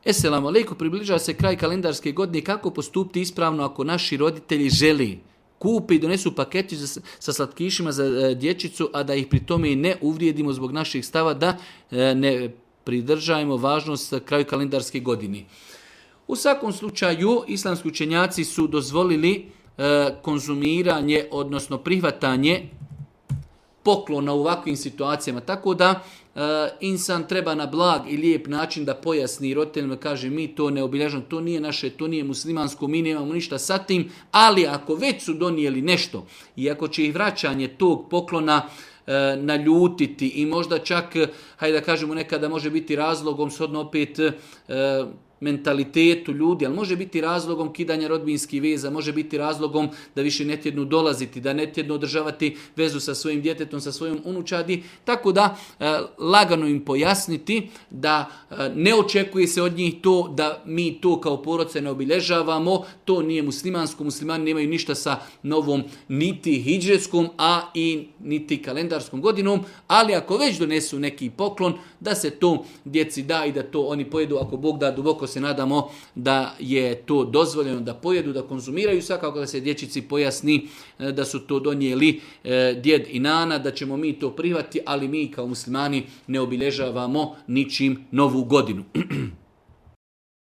Esselamu alejkum, približava se kraj kalendarske godine, kako postupiti ispravno ako naši roditelji želi kupe i donesu paketić sa slatkišima za dječicu, a da ih pri tome i ne uvrijedimo zbog naših stava, da ne pridržajemo važnost kraju kalendarske godine. U svakom slučaju, islamski učenjaci su dozvolili konzumiranje, odnosno prihvatanje poklona u ovakvim situacijama. Tako da insan treba na blag i lijep način da pojasni roditeljima, kaže mi to ne obilježavamo, to nije naše, to nije muslimansko, mi nemamo ništa sa tim, ali ako već su donijeli nešto i ako će ih vraćanje tog poklona naljutiti i možda čak, hajde da kažemo nekada može biti razlogom, shodno opet mentalitetu ljudi, ali može biti razlogom kidanja rodbinskih veza, može biti razlogom da više ne tjednu dolaziti, da ne tjednu održavati vezu sa svojim djetetom, sa svojom unučadi, tako da lagano im pojasniti da ne očekuje se od njih to da mi to kao porodica ne obilježavamo, to nije muslimansko, muslimani nemaju ništa sa novom niti hidžetskom, a i niti kalendarskom godinom, ali ako već donesu neki poklon, da se to djeci da i da to oni pojedu, ako Bog da, duboko se nadamo da je to dozvoljeno da pojedu, da konzumiraju, svakako da se dječici pojasni da su to donijeli djed i nana, da ćemo mi to prihvatiti, ali mi kao muslimani ne obilježavamo ničim novu godinu.